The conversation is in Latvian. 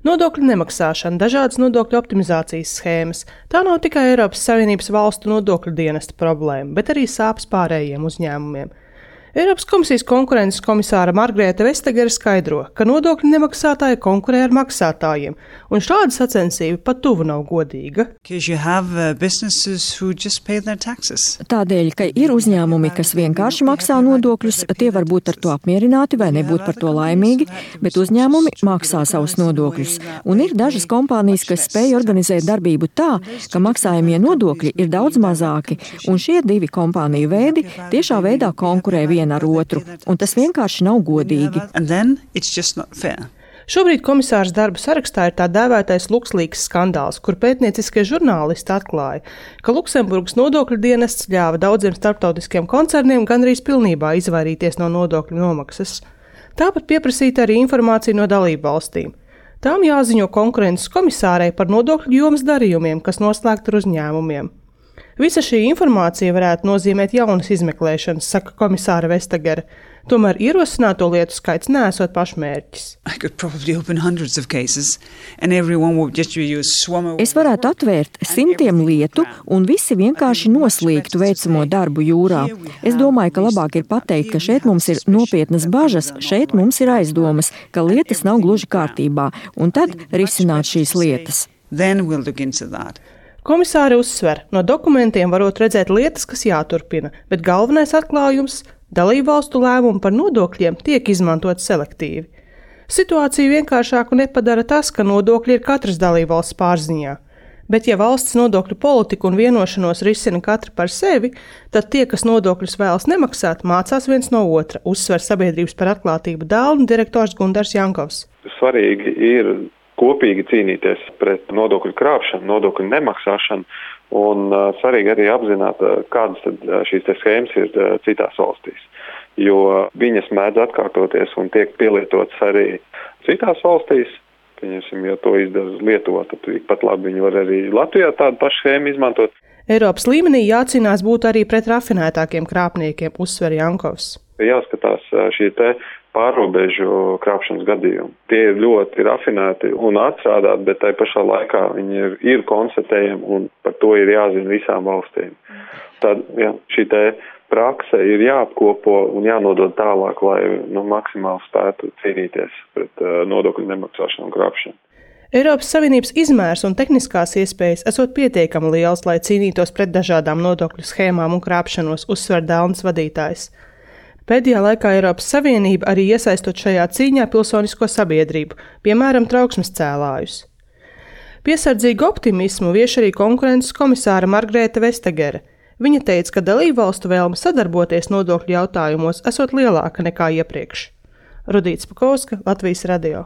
Nodokļu nemaksāšana, dažādas nodokļu optimizācijas schēmas – tā nav tikai Eiropas Savienības valstu nodokļu dienesta problēma, bet arī sāpes pārējiem uzņēmumiem. Eiropas komisijas konkurences komisāra Margrēta Vestagere skaidro, ka nodokļu nemaksātāji konkurē ar maksātājiem, un šāda sacensība pat tuvu nav godīga. Tādēļ, ka ir uzņēmumi, kas vienkārši maksā nodokļus, tie var būt ar to apmierināti vai nebūt par to laimīgi, bet uzņēmumi maksā savus nodokļus. Un ir dažas kompānijas, kas spēj organizēt darbību tā, ka maksājumie nodokļi ir daudz mazāki, un šie divi kompāniju veidi tiešā veidā konkurē viena ar otru, un tas vienkārši nav godīgi. Šobrīd komisārs darba sarakstā ir tā dēvētais LuxLeaks skandāls, kur pētnieciskie žurnālisti atklāja, ka Luksemburgas nodokļu dienests ļāva daudziem starptautiskiem koncerniem gandrīz pilnībā izvairīties no nodokļu nomaksas. Tāpat pieprasīta arī informācija no dalību valstīm. Tām jāziņo konkurences komisārai par nodokļu jomas darījumiem, kas noslēgti ar uzņēmumiem. Visa šī informācija varētu nozīmēt jaunas izmeklēšanas, saka komisāra Vestagere. Tomēr ierosināto lietu skaits neesot pašmērķis. Es varētu atvērt 100 lietu, un visi vienkārši noslīgtu veicamo darbu jūrā. Es domāju, ka labāk ir pateikt, ka šeit mums ir nopietnas bažas, šeit mums ir aizdomas, ka lietas nav gluži kārtībā, un tad risināt šīs lietas. Komisāri uzsver, no dokumentiem varot redzēt lietas, kas jāturpina, bet galvenais atklājums – dalībvalstu lēmumi par nodokļiem tiek izmantot selektīvi. Situāciju vienkāršāku nepadara tas, ka nodokļi ir katras dalībvalsts pārziņā. Bet ja valsts nodokļu politiku un vienošanos risina katra par sevi, tad tie, kas nodokļus vēlas nemaksāt, mācās viens no otra, uzsver Sabiedrības par atklātību dēlnu direktors Gundars Jankovs. Svarīgi ir kopīgi cīnīties pret nodokļu krāpšanu, nodokļu nemaksāšanu, un svarīgi arī apzināt, kādas tad šīs schēmas ir citās valstīs, jo viņas mēdz atkārtoties un tiek pielietotas arī citās valstīs. Pieņemsim, ja to izdara Lietuva, tad pat labi viņi var arī Latvijā tādu pašu schēmu izmantot. Eiropas līmenī jācīnās būt arī pret rafinētākiem krāpniekiem, uzsver Jankovs. Jāskatās šī pārrobežu krāpšanas gadījumi. Tie ir ļoti rafinēti un atstrādāti, bet tai pašā laikā viņi ir konstatējami un par to ir jāzina visām valstīm. Tad šī prakse ir jāapkopo un jānodod tālāk, lai maksimāli spētu cīnīties pret nodokļu nemaksāšanu un krāpšanu. Eiropas Savienības izmērs un tehniskās iespējas esot pietiekami liels, lai cīnītos pret dažādām nodokļu schēmām un krāpšanos, uzsver Dēlnas vadītājs. Pēdējā laikā Eiropas Savienība arī iesaistot šajā cīņā pilsonisko sabiedrību, piemēram, trauksmes cēlājus. Piesardzīgu optimismu vieš arī konkurences komisāra Margrēta Vestagere. Viņa teica, ka dalībvalstu vēlme sadarboties nodokļu jautājumos esot lielāka nekā iepriekš. Rudīta Spakovska, Latvijas radio.